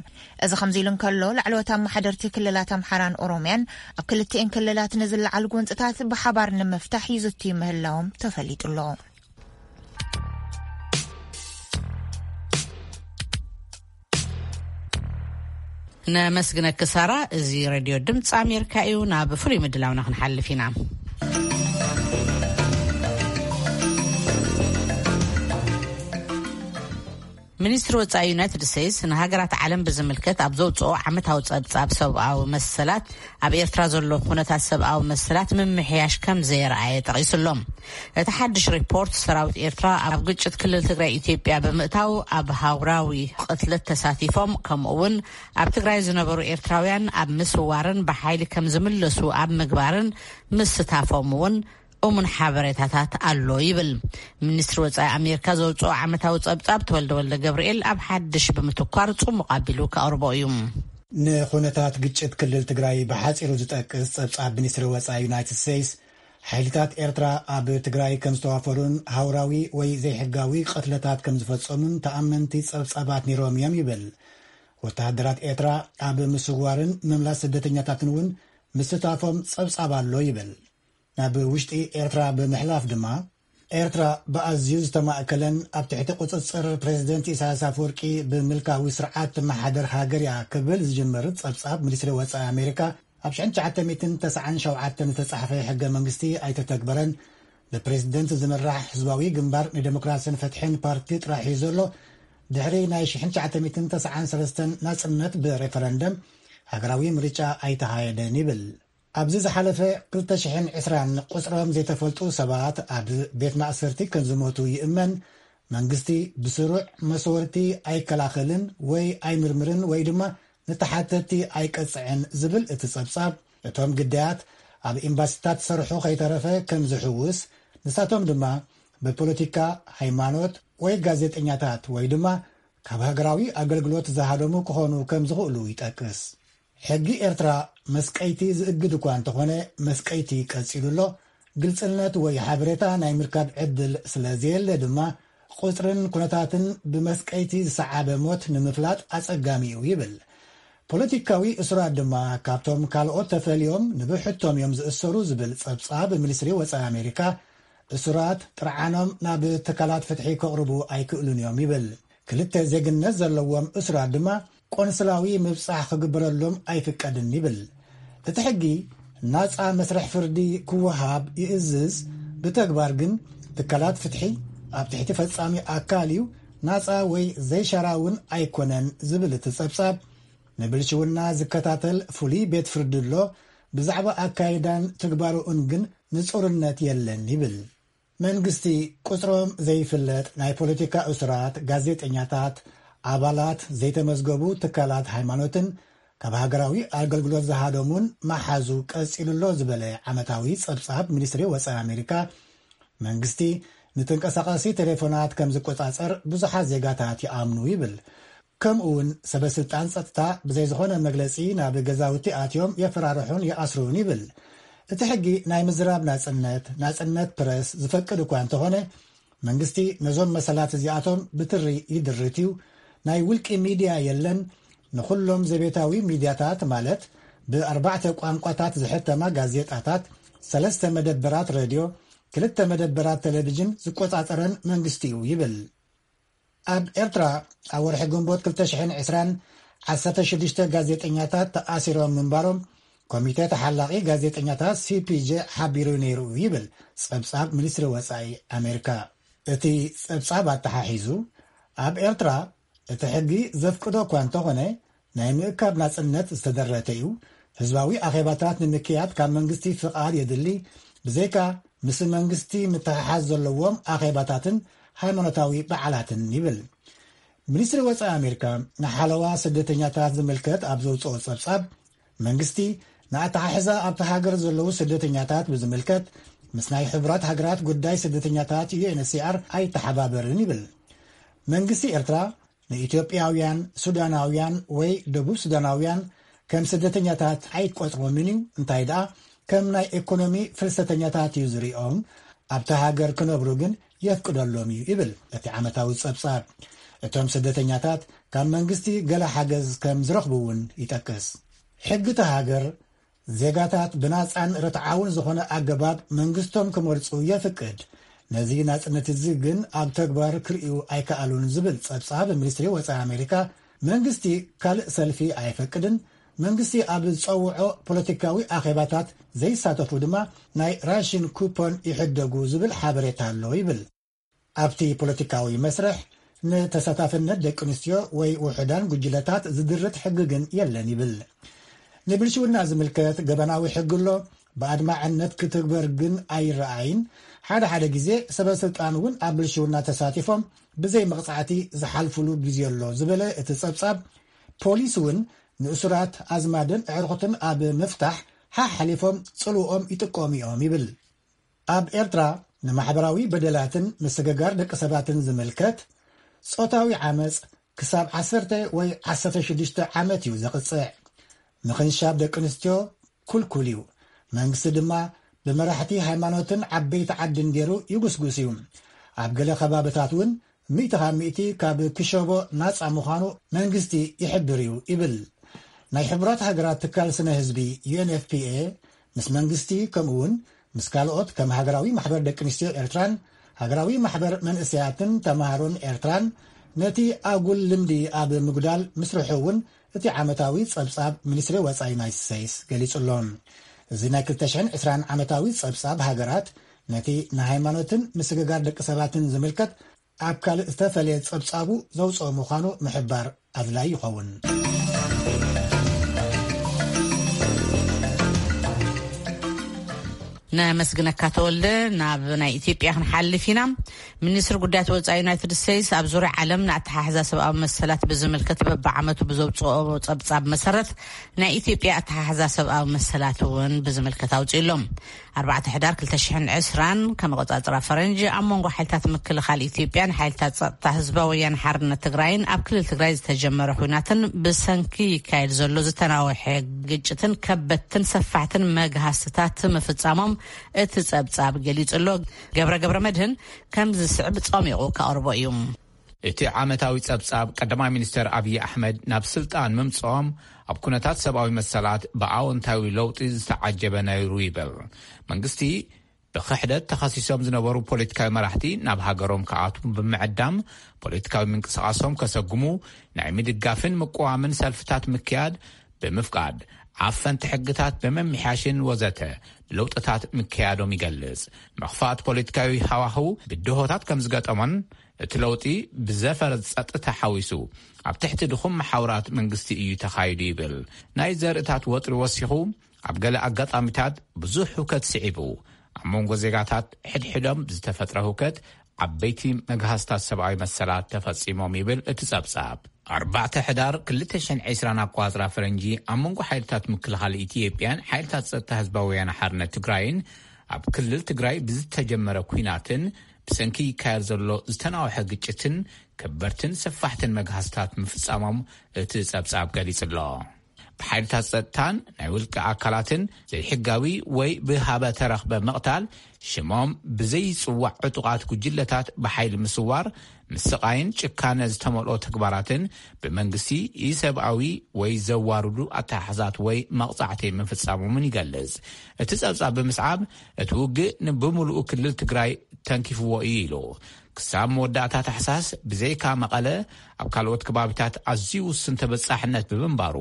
እዚ ከምዚ ኢሉ እንከሎ፣ ላዕለዎት ኣመሓደርቲ ክልላት ኣምሓራን ኦሮምያን ኣብ ክልቲኤን ክልላት ንዝለዓሉ ጎንጽታት ብሓባር ንምፍታሕ ይዝትዩ ምህላዎም ተፈሊጡ ኣሎ። ነመስግነኪ ሳራ። እዚ ሬድዮ ድምፂ ኣሜሪካ እዩ። ናብ ፍሉይ ምድላውና ክንሓልፍ ኢና። ሚኒስትሪ ወጻኢ ዩናይትድ ስቴትስ ንሃገራት ዓለም ብዝምልከት ኣብ ዘውፅኦ ዓመታዊ ጸብጻብ ሰብኣዊ መሰላት ኣብ ኤርትራ ዘሎ ኩነታት ሰብኣዊ መሰላት ምምሕያሽ ከም ዘየርኣየ ጠቒሱ ኣሎ። እቲ ሓድሽ ሪፖርት ሰራዊት ኤርትራ ኣብ ግጭት ክልል ትግራይ ኢትዮጵያ ብምእታው ኣብ ሃውራዊ ቅትለት ተሳቲፎም ከምኡ እውን ኣብ ትግራይ ዝነበሩ ኤርትራውያን ኣብ ምስዋርን ብሓይሊ ከም ዝምለሱ ኣብ ምግባርን ምስታፎም እውን እሙን ሓበሬታታት ኣሎ ይብል። ሚኒስትሪ ወጻኢ ኣሜሪካ ዘውፅኦ ዓመታዊ ጸብጻብ ተወልደ ወልደ ገብርኤል ኣብ ሓድሽ ብምትኳር ጽሙቕ ኣቢሉ ከቕርቦ እዩ። ንኹነታት ግጭት ክልል ትግራይ ብሓጺሩ ዝጠቅስ ጸብጻብ ሚኒስትሪ ወጻኢ ዩናይትድ ስቴትስ፣ ሓይልታት ኤርትራ ኣብ ትግራይ ከም ዝተዋፈሩን ሃውራዊ ወይ ዘይሕጋዊ ቅትለታት ከም ዝፈጸሙን ተኣመንቲ ጸብጻባት ነይሮም እዮም ይብል። ወተሃደራት ኤርትራ ኣብ ምስዋርን ምምላስ ስደተኛታትን እውን ምስታፎም ጸብጻብ ኣሎ ይብል። ናብ ውሽጢ ኤርትራ ብምሕላፍ ድማ፣ ኤርትራ ብኣዝዩ ዝተማእከለን ኣብ ትሕቲ ቁጽጽር ፕሬዚደንት ኢሳያስ ኣፈወርቂ ብምልካዊ ስርዓት ትመሓደር ሃገር እያ ክብል ዝጅምር ጸብጻብ ሚኒስትሪ ወጻኢ ኣሜሪካ፣ ኣብ ሽሕን ትሽዓተ ሚእትን ተስዓን ሸውዓተን ዝተጻሕፈ ሕገ መንግስቲ ኣይተተግበረን፣ ብፕሬዚደንት ዝምራሕ ህዝባዊ ግንባር ንዴሞክራሲን ፍትሕን ፓርቲ ጥራሕ እዩ ዘሎ፣ ድሕሪ ናይ ሽሕን ትሽዓተ ሚእትን ተስዓን ሰለስተን ናጽነት ብሬፈረንደም ሃገራዊ ምርጫ ኣይተኻየደን ይብል። ኣብዚ ዝሓለፈ ክልተ ሽሕን ዕስራን ቁጽሮም ዘይተፈልጡ ሰባት ኣብ ቤት ማእሰርቲ ከም ዝሞቱ ይእመን። መንግስቲ ብስሩዕ መስወርቲ ኣይከላኸልን ወይ ኣይምርምርን ወይ ድማ ንተሓተቲ ኣይቀጽዕን ዝብል እቲ ጸብጻብ፣ እቶም ግዳያት ኣብ ኤምባሲታት ዝሰርሑ ከይተረፈ ከም ዝሕውስ፣ ንሳቶም ድማ ብፖለቲካ፣ ሃይማኖት ወይ ጋዜጠኛታት ወይ ድማ ካብ ሃገራዊ ኣገልግሎት ዝሃደሙ ክኾኑ ከም ዝኽእሉ ይጠቅስ። ሕጊ ኤርትራ መስቀይቲ ዝእግድ እኳ እንተኾነ፣ መስቀይቲ ቀጺሉ ኣሎ። ግልጽነት ወይ ሓበሬታ ናይ ምርካብ ዕድል ስለ ዘየለ ድማ፣ ቁጽርን ኩነታትን ብመስቀይቲ ዝሰዓበ ሞት ንምፍላጥ ኣጸጋሚ እዩ ይብል። ፖለቲካዊ እሱራት ድማ ካብቶም ካልኦት ተፈልዮም ንብሕቶም እዮም ዝእሰሩ ዝብል ጸብጻብ ሚኒስትሪ ወጻኢ ኣሜሪካ፣ እሱራት ጥርዓኖም ናብ ትካላት ፍትሒ ከቕርቡ ኣይክእሉን እዮም ይብል። ክልተ ዜግነት ዘለዎም እሱራት ድማ ቆንስላዊ ምብጻሕ ክግበረሎም ኣይፍቀድን ይብል። እቲ ሕጊ ናጻ መስርሕ ፍርዲ ክወሃብ ይእዝዝ፣ ብተግባር ግን ትካላት ፍትሒ ኣብ ትሕቲ ፈጻሚ ኣካል እዩ፣ ናጻ ወይ ዘይሻራውን ኣይኮነን ዝብል እቲ ጸብጻብ፣ ንብልሽውና ዝከታተል ፍሉይ ቤት ፍርዲ ኣሎ፣ ብዛዕባ ኣካይዳን ትግባረኡን ግን ንጹርነት የለን ይብል። መንግስቲ ቁጽሮም ዘይፍለጥ ናይ ፖለቲካ እሱራት፣ ጋዜጠኛታት፣ ኣባላት ዘይተመዝገቡ ትካላት ሃይማኖትን ካብ ሃገራዊ ኣገልግሎት ዝሃደሙን መሓዙ ቀጺሉ ኣሎ ዝበለ ዓመታዊ ጸብጻብ ሚኒስትሪ ወጻኢ ኣሜሪካ፣ መንግስቲ ንተንቀሳቓሲ ቴሌፎናት ከም ዝቆጻጸር ብዙሓት ዜጋታት ይኣምኑ ይብል። ከምኡ እውን ሰበ ስልጣን ጸጥታ ብዘይ ዝኾነ መግለጺ ናብ ገዛውቲ ኣትዮም የፈራርሑን ይኣስሩን ይብል። እቲ ሕጊ ናይ ምዝራብ ናጽነት፣ ናጽነት ፕረስ ዝፈቅድ እኳ እንተኾነ፣ መንግስቲ ነዞም መሰላት እዚኣቶም ብትሪ ይድርት እዩ። ናይ ውልቂ ሚድያ የለን። ንኹሎም ዘቤታዊ ሚድያታት ማለት ብኣርባዕተ ቋንቋታት ዝሕተማ ጋዜጣታት፣ ሰለስተ መደበራት ሬድዮ፣ ክልተ መደበራት ቴሌቪዥን ዝቆጻጸረን መንግስቲ እዩ ይብል። ኣብ ኤርትራ ኣብ ወርሒ ግንቦት ክልተ ሽሕን ዕስራን ዓሰርተ ሽዱሽተ ጋዜጠኛታት ተኣሲሮም ምንባሮም ኮሚቴ ተሓላቒ ጋዜጠኛታት ሲ ፒ ጄ ሓቢሩ ነይሩ ይብል ጸብጻብ ሚኒስትሪ ወጻኢ ኣሜሪካ። እቲ ጸብጻብ ኣተሓሒዙ፣ ኣብ ኤርትራ እቲ ሕጊ ዘፍቅዶ እኳ እንተኾነ፣ ናይ ምእካብ ናጽነት ዝተደረተ እዩ። ህዝባዊ ኣኼባታት ንምክያድ ካብ መንግስቲ ፍቓድ የድሊ። ብዘይካ ምስ መንግስቲ ምትሕሓዝ ዘለዎም ኣኼባታትን ሃይማኖታዊ በዓላትን ይብል። ሚኒስትሪ ወጻኢ ኣሜሪካ ንሓለዋ ስደተኛታት ዝምልከት ኣብ ዘውጽኦ ጸብጻብ፣ መንግስቲ ንኣተሓሕዛ ኣብቲ ሃገር ዘለዉ ስደተኛታት ብዝምልከት ምስ ናይ ሕቡራት ሃገራት ጉዳይ ስደተኛታት ዩ ኤን ኤች ሲ ኣር ኣይተሓባበርን ይብል። መንግስቲ ኤርትራ ንኢትዮጵያውያን፣ ሱዳናውያን ወይ ደቡብ ሱዳናውያን ከም ስደተኛታት ኣይቆጽሮምን እዩ፣ እንታይ ደኣ ከም ናይ ኢኮኖሚ ፍልሰተኛታት እዩ ዝሪኦም። ኣብቲ ሃገር ክነብሩ ግን የፍቅደሎም እዩ ይብል እቲ ዓመታዊ ጸብጻብ። እቶም ስደተኛታት ካብ መንግስቲ ገለ ሓገዝ ከም ዝረኽቡ እውን ይጠቅስ። ሕጊ እቲ ሃገር ዜጋታት ብናጻን ርትዓውን ዝኾነ ኣገባብ መንግስቶም ክመርጹ የፍቅድ። ነዚ ናጽነት እዚ ግን ኣብ ተግባር ክርእዩ ኣይከኣሉን ዝብል ጸብጻብ ሚኒስትሪ ወጻኢ ኣሜሪካ፣ መንግስቲ ካልእ ሰልፊ ኣይፈቅድን፣ መንግስቲ ኣብ ዝጸውዖ ፖለቲካዊ ኣኼባታት ዘይሳተፉ ድማ ናይ ራሽን ኩፖን ይሕደጉ ዝብል ሓበሬታ ኣሎ ይብል። ኣብቲ ፖለቲካዊ መስርሕ ንተሳታፍነት ደቂ ኣንስትዮ ወይ ውሑዳን ጉጅለታት ዝድርት ሕጊ ግን የለን ይብል። ንብልሽውና ዝምልከት ገበናዊ ሕጊ ኣሎ፣ ብኣድማዕነት ክትግበር ግን ኣይረኣይን። ሓደ ሓደ ግዜ ሰበ ስልጣን እውን ኣብ ብልሽውና ተሳቲፎም ብዘይ መቕጻዕቲ ዝሓልፍሉ ግዜ ኣሎ ዝበለ እቲ ጸብጻብ፣ ፖሊስ እውን ንእሱራት ኣዝማድን ኣዕሩኽትን ኣብ ምፍታሕ ሓሓሊፎም ጽልውኦም ይጥቀሙ እዮም ይብል። ኣብ ኤርትራ ንማሕበራዊ በደላትን ምስግጋር ደቂ ሰባትን ዝምልከት ጾታዊ ዓመጽ ክሳብ ዓሰርተ ወይ ዓሰርተ ሽዱሽተ ዓመት እዩ ዘቕጽዕ። ምኽንሻብ ደቂ ኣንስትዮ ኩልኩል እዩ። መንግስቲ ድማ ብመራሕቲ ሃይማኖትን ዓበይቲ ዓድን ገይሩ ይጉስጉስ እዩ። ኣብ ገለ ከባብታት እውን ሚእቲ ካብ ሚእቲ ካብ ክሸቦ ናጻ ምዃኑ መንግስቲ ይሕብር እዩ ይብል። ናይ ሕቡራት ሃገራት ትካል ስነ ህዝቢ ዩ ኤን ኤፍ ፒ ኤ ምስ መንግስቲ ከምኡ እውን ምስ ካልኦት ከም ሃገራዊ ማሕበር ደቂ ኣንስትዮ ኤርትራን ሃገራዊ ማሕበር መንእሰያትን ተማሃሮን ኤርትራን ነቲ ኣጉል ልምዲ ኣብ ምጉዳል ምስርሑ እውን እቲ ዓመታዊ ጸብጻብ ሚኒስትሪ ወጻኢ ዩናይትድ ስቴትስ ገሊጹ ኣሎ። እዚ ናይ ክልተ ሽሕን ዕስራን ዓመታዊ ጸብጻብ ሃገራት ነቲ ንሃይማኖትን ምስግጋር ደቂ ሰባትን ዝምልከት ኣብ ካልእ ዝተፈልየ ጸብጻቡ ዘውጽኦ ምዃኑ ምሕባር ኣድላይ ይኸውን። ነመስግነካ ተወልደ። ናብ ናይ ኢትዮጵያ ክንሓልፍ ኢና። ሚኒስትሪ ጉዳያት ወፃኢ ዩናይትድ ስቴትስ ኣብ ዙርያ ዓለም ንኣተሓሕዛ ሰብኣዊ መሰላት ብዝምልከት በብዓመቱ ብዘውፅኦ ፀብፃብ መሰረት ናይ ኢትዮጵያ ኣተሓሕዛ ሰብኣዊ መሰላት እውን ብዝምልከት ኣውፅኡ ኣሎ። ኣርባዕተ ሕዳር ክልተ ሽሕን ዕስራን ከም ኣቆፃፅራ ፈረንጂ ኣብ መንጎ ሓይልታት ምክልኻል ኢትዮጵያን ሓይልታት ፀጥታ ህዝባዊ ወያነ ሓርነት ትግራይን ኣብ ክልል ትግራይ ዝተጀመረ ኹናትን ብሰንኪ ይካየድ ዘሎ ዝተናወሐ ግጭትን ከበድትን ሰፋሕትን መግሃስትታት ምፍፃሞም እቲ ፀብፃብ ገሊፁ ኣሎ። ገብረ ገብረ መድህን ከም ዝስዕብ ፀሚቑ ከቕርቦ እዩ። እቲ ዓመታዊ ጸብጻብ ቀዳማይ ሚኒስተር ኣብዪ ኣሕመድ ናብ ስልጣን ምምጽኦም ኣብ ኩነታት ሰብኣዊ መሰላት ብኣወንታዊ ለውጢ ዝተዓጀበ ነይሩ ይብል። መንግስቲ ብኽሕደት ተኸሲሶም ዝነበሩ ፖለቲካዊ መራሕቲ ናብ ሃገሮም ክኣትዉ ብምዕዳም ፖለቲካዊ ምንቅስቓሶም ከሰጉሙ ናይ ምድጋፍን ምቅዋምን ሰልፍታት ምክያድ ብምፍቃድ ዓፈንቲ ሕግታት ብምምሕያሽን ወዘተ ለውጥታት ምክያዶም ይገልጽ። ምኽፋት ፖለቲካዊ ሃዋህው ብድሆታት ከም ዝገጠሞን እቲ ለውጢ ብዘፈር ጸጥታ ሓዊሱ ኣብ ትሕቲ ድኹም መሓውራት መንግስቲ እዩ ተኻይዱ ይብል። ናይ ዘርእታት ወጥሪ ወሲኹ ኣብ ገለ ኣጋጣሚታት ብዙሕ ህውከት ስዒቡ ኣብ መንጎ ዜጋታት ሕድሕዶም ዝተፈጥረ ህውከት ዓበይቲ መግሃስታት ሰብኣዊ መሰላት ተፈጺሞም ይብል እቲ ጸብጻብ። ኣርባዕተ ሕዳር ክልተ ሽሕን ዕስራን ኣቋጽራ ፈረንጂ ኣብ መንጎ ሓይልታት ምክልኻል ኢትዮጵያን ሓይልታት ጸጥታ ህዝባዊ ወያነ ሓርነት ትግራይን ኣብ ክልል ትግራይ ብዝተጀመረ ኲናትን ብሰንኪ ይካየድ ዘሎ ዝተናውሐ ግጭትን ከበርትን ሰፋሕትን መግሃስታት ምፍጻሞም እቲ ጸብጻብ ገሊጹ ኣሎ። ብሓይልታት ጸጥታን ናይ ውልቂ ኣካላትን ዘይሕጋዊ ወይ ብሃበ ተረኽበ ምቕታል፣ ሽሞም ብዘይጽዋዕ ዕጡቓት ጉጅለታት ብሓይሊ ምስዋር፣ ምስቓይን ጭካነ ዝተመልኦ ተግባራትን ብመንግስቲ ኢሰብኣዊ ወይ ዘዋርዱ ኣተሓሕዛት ወይ መቕጻዕቲ ምፍጻሞምን ይገልጽ። እቲ ጸብጻብ ብምስዓብ፣ እቲ ውግእ ንብምሉኡ ክልል ትግራይ ተንኪፍዎ እዩ ኢሉ። ክሳብ መወዳእታ ታሕሳስ ብዘይካ መቐለ ኣብ ካልኦት ከባቢታት ኣዝዩ ውሱን ተበጻሕነት ብምንባሩ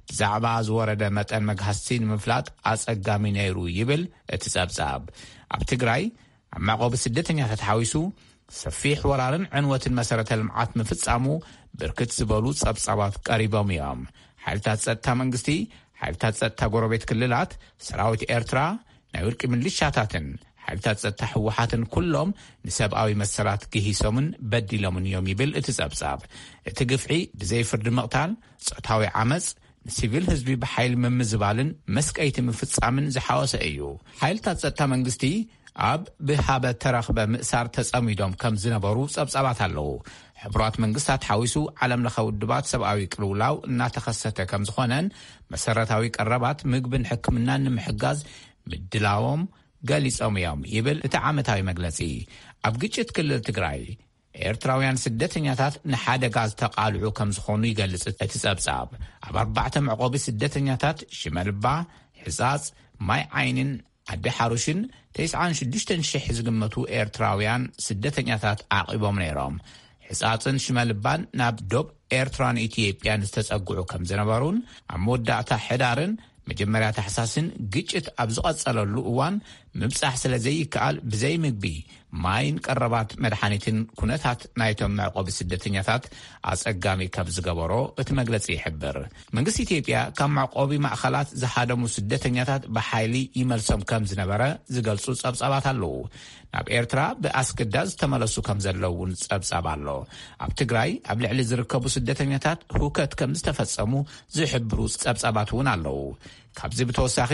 ብዛዕባ ዝወረደ መጠን መግሃስቲ ንምፍላጥ ኣጸጋሚ ነይሩ ይብል እቲ ጸብጻብ። ኣብ ትግራይ ኣብ መዕቆቢ ስደተኛታት ሓዊሱ ሰፊሕ ወራርን ዕንወትን መሰረተ ልምዓት ምፍጻሙ ብርክት ዝበሉ ጸብጻባት ቀሪቦም እዮም። ሓይልታት ጸጥታ መንግስቲ፣ ሓይልታት ጸጥታ ጎረቤት ክልላት፣ ሰራዊት ኤርትራ፣ ናይ ውልቂ ምልሻታትን ሓይልታት ጸጥታ ህወሓትን ኩሎም ንሰብኣዊ መሰላት ግሂሶምን በዲሎምን እዮም ይብል እቲ ጸብጻብ። እቲ ግፍዒ ብዘይ ፍርዲ ምቕታል፣ ጾታዊ ዓመጽ፣ ንሲቪል ህዝቢ ብሓይሊ ምምዝባልን መስቀይቲ ምፍጻምን ዝሓወሰ እዩ። ሓይልታት ጸጥታ መንግስቲ ኣብ ብሃበ ተረኽበ ምእሳር ተጸሚዶም ከም ዝነበሩ ጸብጻባት ኣለዉ። ሕቡራት መንግስታት ሓዊሱ ዓለም ለኸ ውድባት ሰብኣዊ ቅልውላው እናተኸሰተ ከም ዝኾነን መሰረታዊ ቀረባት ምግብን ሕክምናን ንምሕጋዝ ምድላዎም ገሊጾም እዮም ይብል እቲ ዓመታዊ መግለጺ። ኣብ ግጭት ክልል ትግራይ ኤርትራውያን ስደተኛታት ንሓደጋ ዝተቓልዑ ከም ዝኾኑ ይገልጽ እቲ ጸብጻብ። ኣብ ኣርባዕተ መዕቆቢ ስደተኛታት ሽመልባ፣ ሕጻጽ፣ ማይ ዓይንን ኣዲ ሓሩሽን ተስዓን ሽዱሽተን ሽሕ ዝግመቱ ኤርትራውያን ስደተኛታት ዓቒቦም ነይሮም። ሕጻጽን ሽመልባን ናብ ዶብ ኤርትራን ኢትዮጵያን ዝተጸግዑ ከም ዝነበሩን ኣብ መወዳእታ ሕዳርን መጀመርያ ታሕሳስን ግጭት ኣብ ዝቐጸለሉ እዋን ምብጻሕ ስለ ዘይከኣል ብዘይ ምግቢ፣ ማይን ቀረባት መድሓኒትን ኩነታት ናይቶም መዕቆቢ ስደተኛታት ኣጸጋሚ ከም ዝገበሮ እቲ መግለጺ ይሕብር። መንግስቲ ኢትዮጵያ ካብ መዕቆቢ ማእኸላት ዝሃደሙ ስደተኛታት ብሓይሊ ይመልሶም ከም ዝነበረ ዝገልጹ ጸብጻባት ኣለዉ። ናብ ኤርትራ ብኣስገዳድ ዝተመለሱ ከም ዘለዉ እውን ጸብጻብ ኣሎ። ኣብ ትግራይ ኣብ ልዕሊ ዝርከቡ ስደተኛታት ሁከት ከም ዝተፈጸሙ ዝሕብሩ ጸብጻባት እውን ኣለዉ። ካብዚ ብተወሳኺ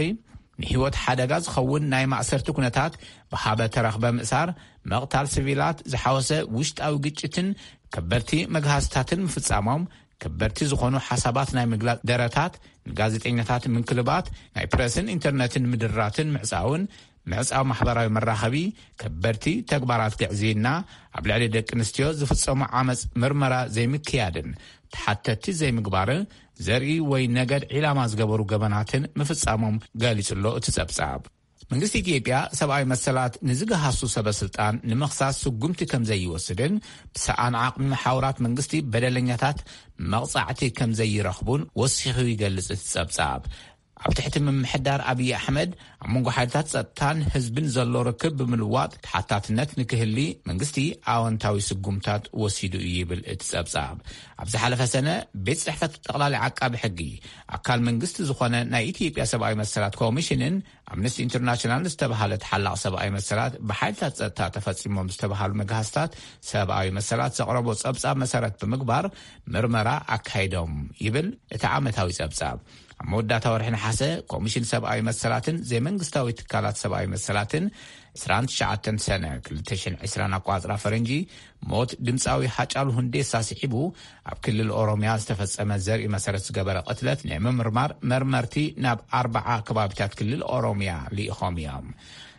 ንህይወት ሓደጋ ዝኸውን ናይ ማእሰርቲ ኩነታት፣ ብሃበ ተረኽበ ምእሳር፣ መቕታል ሲቪላት ዝሓወሰ ውሽጣዊ ግጭትን ከበድቲ መግሃስታትን ምፍጻሞም፣ ከበድቲ ዝኾኑ ሓሳባት ናይ ምግላጽ ደረታት፣ ንጋዜጠኛታት ምንክልባት፣ ናይ ፕረስን ኢንተርነትን ምድራትን ምዕጻውን፣ ምዕጻው ማሕበራዊ መራኸቢ፣ ከበድቲ ተግባራት ግዕዝይና፣ ኣብ ልዕሊ ደቂ ኣንስትዮ ዝፍጸሙ ዓመጽ ምርመራ ዘይምክያድን ተሓተቲ ዘይምግባርን ዘርኢ ወይ ነገድ ዒላማ ዝገበሩ ገበናትን ምፍጻሞም ገሊጹ ኣሎ እቲ ጸብጻብ። መንግስቲ ኢትዮጵያ ሰብኣዊ መሰላት ንዝገሃሱ ሰበ ስልጣን ንምኽሳስ ስጉምቲ ከም ዘይወስድን ብሰኣን ዓቕሚ መሓውራት መንግስቲ በደለኛታት መቕጻዕቲ ከም ዘይረኽቡን ወሲኹ ይገልጽ እቲ ጸብጻብ። ኣብ ትሕቲ ምምሕዳር ኣብይ ኣሕመድ ኣብ መንጎ ሓይልታት ጸጥታን ህዝብን ዘሎ ርክብ ብምልዋጥ ተሓታትነት ንክህሊ መንግስቲ ኣወንታዊ ስጉምታት ወሲዱ እዩ ይብል እቲ ጸብጻብ። ኣብ ዝሓለፈ ሰነ ቤት ጽሕፈት ጠቕላሊ ዓቃቢ ሕጊ ኣካል መንግስቲ ዝኾነ ናይ ኢትዮጵያ ሰብኣዊ መሰላት ኮሚሽንን ኣምነስቲ ኢንተርናሽናል ዝተባሃለ ተሓላቕ ሰብኣዊ መሰላት ብሓይልታት ጸጥታ ተፈጺሞም ዝተባሃሉ መግሃስታት ሰብኣዊ መሰላት ዘቕረቦ ጸብጻብ መሰረት ብምግባር ምርመራ ኣካይዶም ይብል እቲ ዓመታዊ ጸብጻብ። ኣብ መወዳእታ ወርሒ ነሓሰ ኮሚሽን ሰብኣዊ መሰላትን ዘይመንግስታዊ ትካላት ሰብኣዊ መሰላትን ዕስራን ትሽዓተን ሰነ ክልተ ሽሕን ዕስራን ኣቋጽራ ፈረንጂ ሞት ድምፃዊ ሃጫሉ ሁንዴሳ ስዒቡ ኣብ ክልል ኦሮምያ ዝተፈጸመ ዘርኢ መሰረት ዝገበረ ቅትለት ንምምርማር መርመርቲ ናብ ኣርባዓ ከባቢታት ክልል ኦሮምያ ልኢኾም እዮም።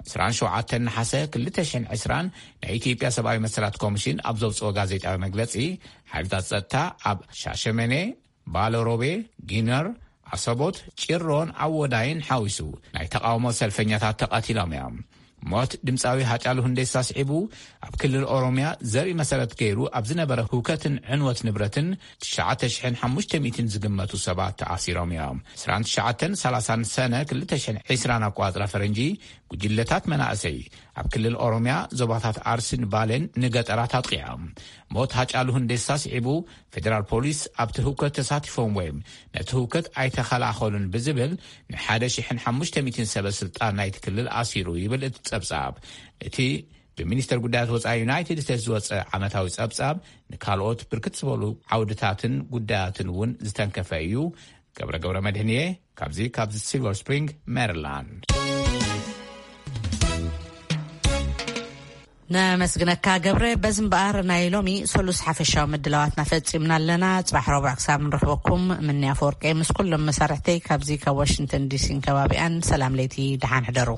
ዕስራን ሸውዓተን ነሓሰ ክልተ ሽሕን ዕስራን ናይ ኢትዮጵያ ሰብኣዊ መሰላት ኮሚሽን ኣብ ዘውፅኦ ጋዜጣዊ መግለፂ፣ ሓይልታት ጸጥታ ኣብ ሻሸመኔ፣ ባለሮቤ፣ ጊነር፣ ኣሰቦት፣ ጭሮን ኣወዳይን ሓዊሱ ናይ ተቃውሞ ሰልፈኛታት ተቐቲሎም እዮም። ሞት ድምፃዊ ሃጫሉ ሁንዴሳ ስዒቡ ኣብ ክልል ኦሮምያ ዘርኢ መሰረት ገይሩ ኣብ ዝነበረ ህውከትን ዕንወት ንብረትን ትሽዓተ ሽሕን ሓሙሽተ ሚእትን ዝግመቱ ሰባት ተኣሲሮም እዮም። ዕስራን ትሽዓተን ሰላሳን ሰነ ክልተ ሽሕን ዕስራን ኣቋጽራ ፈረንጂ ጉጅለታት መናእሰይ ኣብ ክልል ኦሮምያ ዞባታት ኣርሲን ባሌን ንገጠራት ኣጥቂዖም። ሞት ሃጫሉ ሁንዴሳ ስዒቡ ፌደራል ፖሊስ ኣብቲ ህውከት ተሳቲፎም ወይም ነቲ ህውከት ኣይተኸላኸሉን ብዝብል ንሓደ ሽሕን ሓሙሽተ ሚእትን ሰበ ስልጣን ናይቲ ክልል ኣሲሩ ይብል እቲ ጸብጻብ። እቲ ብሚኒስተር ጉዳያት ወጻኢ ዩናይትድ ስቴትስ ዝወጸ ዓመታዊ ጸብጻብ ንካልኦት ብርክት ዝበሉ ዓውድታትን ጉዳያትን እውን ዝተንከፈ እዩ። ገብረ ገብረ መድህንየ ካብዚ ካብዚ ሲልቨር ስፕሪንግ ሜሪላንድ። ነመስግነካ ገብረ። በዚ እምበኣር ናይ ሎሚ ሰሉስ ሓፈሻዊ ምድላዋትና ፈጺምና ኣለና። ጽባሕ ረቡዕ ክሳብ ንረኽበኩም ምንያ ፈወርቀ ምስ ኩሎም መሳርሕተይ ካብዚ ካብ ዋሽንግተን ዲሲን ከባቢኣን ሰላም ለይቲ፣ ደሓን ሕደሩ።